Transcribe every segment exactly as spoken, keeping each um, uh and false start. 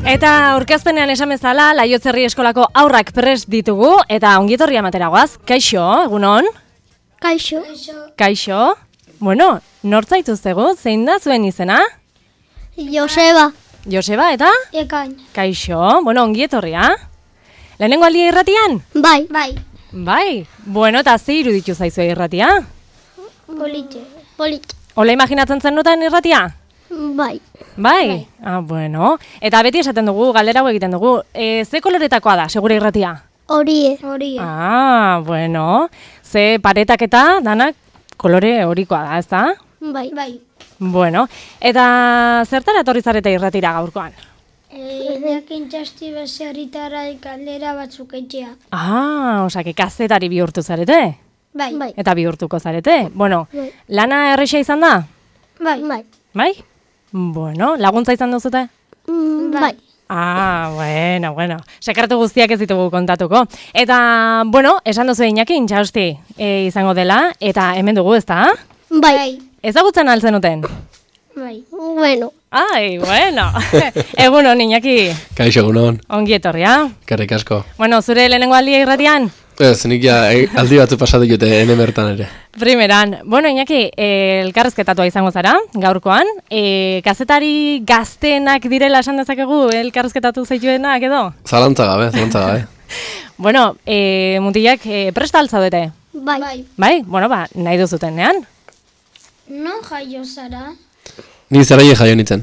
Eta aurkezpenean esan bezala, Laiotzerri eskolako aurrak prest ditugu, eta ongietorria materagoaz. Kaixo, egunon? Kaixo. Kaixo. Bueno, nortzaituztegu, zein da zuen izena? Joseba. Joseba, eta? Ekain. Kaixo, bueno, ongietorria. Lehenengo aldia irratian? Bai. Bai. Bai, bueno, eta ze iruditu zaizue irratia? Politxe. Politxe. Ola imaginatzen zen duten irratia? Bai. Bai? Bai. Ah, bueno. Eta beti esaten dugu, galdera hau egiten dugu. E, ze koloretakoa da, segure irratia? Horie. Horie. Ah, bueno. Ze paretak eta danak kolore horikoa da, ezta? Bai. Bai. Bueno, eta zertara etorri zarete irratira gaurkoan? Edakin txasti beserritara kaldera batzuk etxea. Ah, osake kazetari bihurtu zarete? Bai. Bai. Eta bihurtuko zarete? Bueno, bai. Lana erresa izan da? Bai. Bai. Bai? Bueno, laguntza izan duzute? Mm, bai. Ah, bueno, bueno. Sekretu guztiak ez ditugu kontatuko. Eta, bueno, esan duzu Iñaki, intxausti e, izango dela, eta hemen dugu, ezta? Bai. Ezagutzen altzen uten? Bai. Bueno. Ai, bueno. Egunon, Iñaki. Kaixo, egunon. Ongi etorria. Karrik asko. Bueno, zure lehenengo aldia irratian? Ez, nik ja aldi batzu pasatu jute, ene bertan ere. Primeran. Bueno, Iñaki, eh, elkarrezketatua izango zara, gaurkoan. Eh, kazetari gaztenak direla esan dezakegu, elkarrezketatu zaituenak edo? Zalantza gabe, zalantza gabe. Bueno, eh, mutilak eh, presta altzaudete? Bai. Bai. Bai? Bueno, ba, nahi duzutenean. Non jaio zara? Ni zaraie jaio nintzen.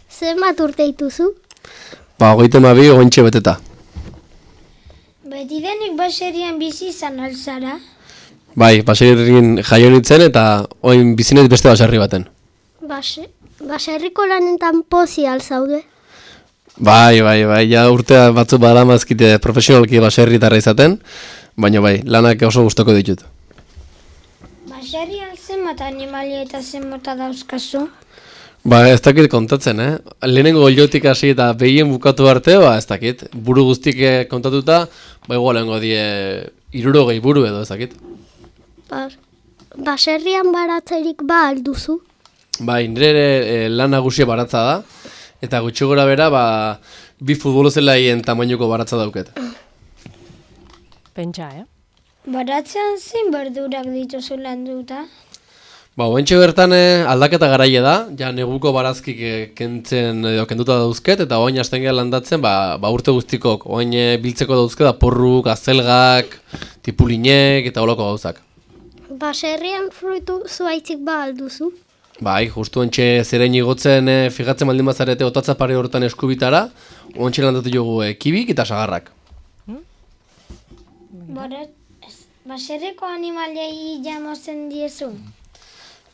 Zenbat urte dituzu? Ba, hogeita hamabi ogointxe beteta. Beti denik baserian bizi izan alzara? Bai, baserrin jaio nintzen eta oin bizinez beste baserri baten. Base, baserriko lanetan pozi alzaude? Bai, bai, bai, ja urtea batzu badamazkite profesionalki baserritarra izaten, baina bai, lanak oso gustoko ditut. Baserrian zenbat animalia eta zenbota dauzkazu? Ba, ez dakit kontatzen, eh? Lehenengo oliotik hasi eta behien bukatu arte, ba, ez dakit. Buru guztik kontatuta, ba, igual lehengo die hirurogei buru edo, ez dakit. Ba, baserrian baratzerik ba alduzu? Bai, nire ere e, lan nagusia baratza da, eta gutxi gora bera, ba, bi futbolozelaien tamainuko baratza dauket. Pentsa, eh? Baratzean zein berdurak dituzu landuta? Ba, oentxe bertan eh, aldaketa garaile da, ja neguko barazkik eh, kentzen edo kenduta dauzket, eta oain hasten gara landatzen, ba, ba urte guztikok, oain eh, biltzeko dauzket, porruk, azelgak, tipulinek eta holako gauzak. Baserrian fruitu zuaitzik ba alduzu? Bai, justu oentxe zerein igotzen eh, fijatzen baldin bazarete otatza pare hortan eskubitara, oentxe landatu jogu eh, kibik eta sagarrak. Hmm? Baserriko animaliei jamozen diezu?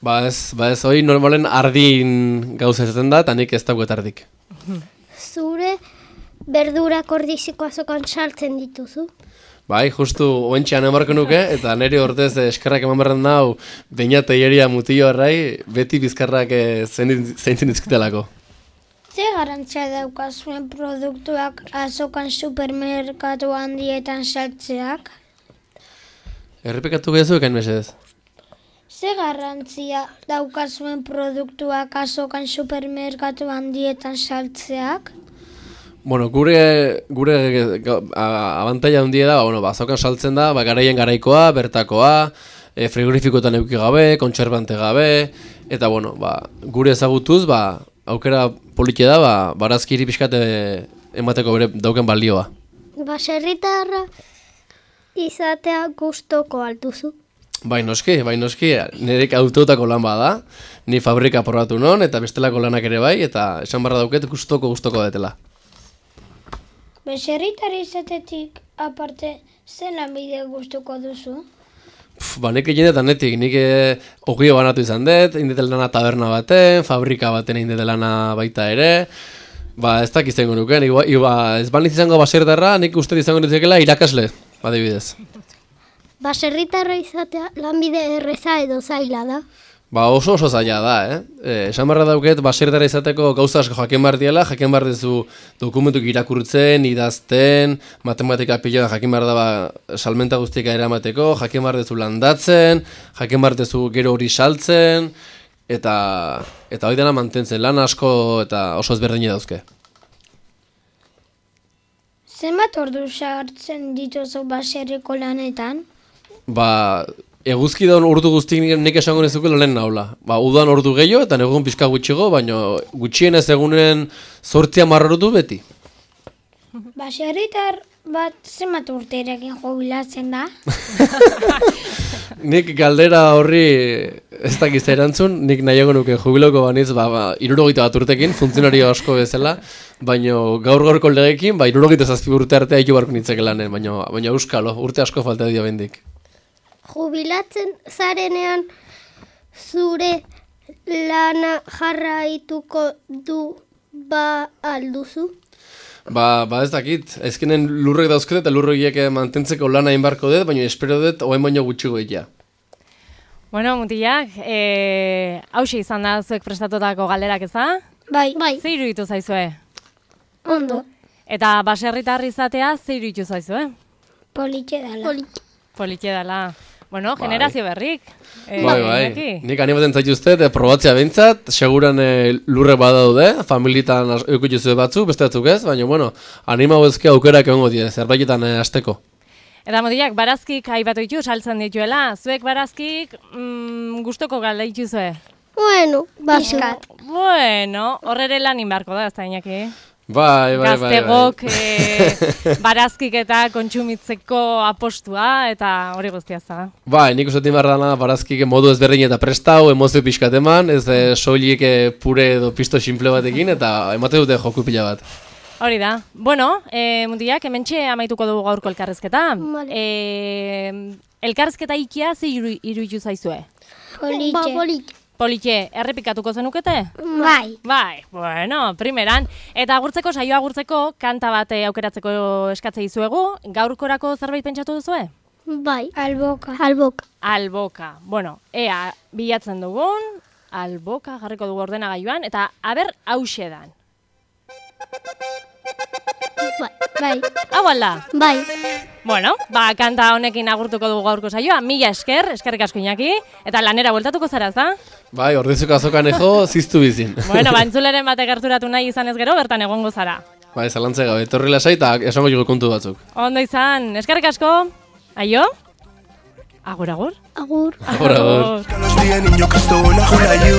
Ba ez, ba ez, hori normalen ardin gauza ezaten da, eta nik ez dauket ardik. Zure berdurak ordiziko azokan saltzen dituzu? Bai, justu oentxean emarko nuke, eta niri ordez eskerrak eman berren dau, baina teieria mutillo errai, beti bizkarrak zeintzen dizkitelako. Ze garantzia daukazuen produktuak azokan supermerkatu handietan saltzeak? Errepikatu gehiazu ekain mesedez. Ze garrantzia daukazuen produktuak azokan supermerkatu handietan saltzeak? Bueno, gure gure abantaila handia da, bueno, ba, azokan saltzen da, ba, garaien garaikoa, bertakoa, e, frigorifikoetan eduki gabe, kontserbante gabe, eta bueno, ba, gure ezagutuz, ba, aukera polite da, ba, barazkiri pixkate emateko bere dauken balioa. Baserritarra izatea gustoko alduzu? Bai noski, bai noski, nirek autotako lan bada, ni fabrika probatu non, eta bestelako lanak ere bai, eta esan barra dauket gustoko gustoko detela. Baserritarra izatetik aparte, zen lanbide gustuko duzu? Pff, ba, nik egin eta netik, nik ogio banatu izan dut, indete lana taberna baten, fabrika baten indete lana baita ere, ba, ez dakiz zengo nuken, iba, iba, ez baniz izango baserritarra, nik uste izango nitzekela irakasle, adibidez. Baserritarra izatea lanbide erreza edo zaila da? Ba oso oso zaila da, eh? eh esan barra dauket, baserritara izateko gauza asko jakin behar diela, jakin behar dezu dokumentuk irakurtzen, idazten, matematika pila jakin behar da ba, salmenta guztika eramateko, jakin behar dezu landatzen, jakin behar dezu gero hori saltzen, eta eta hori dena mantentzen, lan asko eta oso ezberdina dauzke. Zenbat ordu sartzen dituzu baserriko lanetan? Ba, eguzkidan ordu guztik nik, nik esango nezuke lehen naula. Ba, udan ordu gehiago eta negun pixka gutxigo, baina gutxienez egunen zortzia marrotu beti. Baserritar bat zenbat urterekin jubilatzen da? Nik galdera horri ez dakiz erantzun, nik nahiago nuke jubiloko baniz, ba, ba irurogeita bat urtekin, funtzionario asko bezala, baina gaur gaurko legekin, ba, irurogeita zazpi urte artea hitu barko nintzeke lanen, baina, baina euskalo, urte asko falta dio bendik. Jubilatzen zarenean zure lana jarraituko du ba alduzu? Ba, ba ez dakit, ezkenen lurrek dauzkete eta lurroiek mantentzeko lana inbarko dut, baina espero dut oain baino gutxigo egia. Bueno, mutilak, e, hause izan da zuek prestatutako galderak eza? Bai. Bai. Ze iruditu zaizue? Ondo. Eta baserritar izatea ze iruditu zaizue? Politxe dala. Polit. Politxe dela. Bueno, Bai. generazio berrik. E, Bai, bai, Iñaki? nik animaten zaituzte, e, probatzea behintzat, seguran e, lurre badaude, familietan eukutuzue batzu, beste batzuk ez, baina, bueno, anima bezke aukerak egongo die, zerbaitetan e, azteko. Eta mutilak, barazkik aipatu ditu, saltzen dituela. Zuek barazkik mm, gustoko galde dituzue? Bueno, baskat. Bueno, horrere lan inbarko da, ez da, Iñaki? Bai, bai, bai. Gaztegok e, barazkik eta kontsumitzeko apostua, eta hori guztia za. Bai, nik usatik behar dana barazkik modu ezberdin eta prestau, emozio pixkat eman, ez e, soilik e, pure edo pisto simple batekin, eta emate dute joku pila bat. Hori da. Bueno, e, mundiak, hementxe amaituko dugu gaurko elkarrezketa. Vale. E, elkarrezketa ikia ze iru, iruditu zaizue? Politxe. Ba, polit. Politxe, errepikatuko zenukete? Bai. Bai, bueno, primeran. Eta agurtzeko, saio agurtzeko, kanta bat eh, aukeratzeko eskatze dizuegu. Gaurkorako zerbait pentsatu duzue? Bai. Alboka. Albok. Alboka. Bueno, ea, bilatzen dugun, alboka jarriko dugu ordenagailuan, eta aber hause dan. Bai. Bai. Hau alda? Bai. Bueno, ba, kanta honekin agurtuko dugu gaurko saioa, mila esker, eskerrik asko Iñaki, eta lanera bueltatuko zara, da? Bai, ordezuko azokan ejo, ziztu bizin. Bueno, ba, entzuleren batek gerturatu nahi izan ez gero, bertan egongo zara. Bai, zalantze gabe, etorri lasai eta esango jugu kontu batzuk. Ondo izan, eskerrik asko, aio? Agur, agur? Agur. Agur, agur. Los días niño Cristo una jula yo.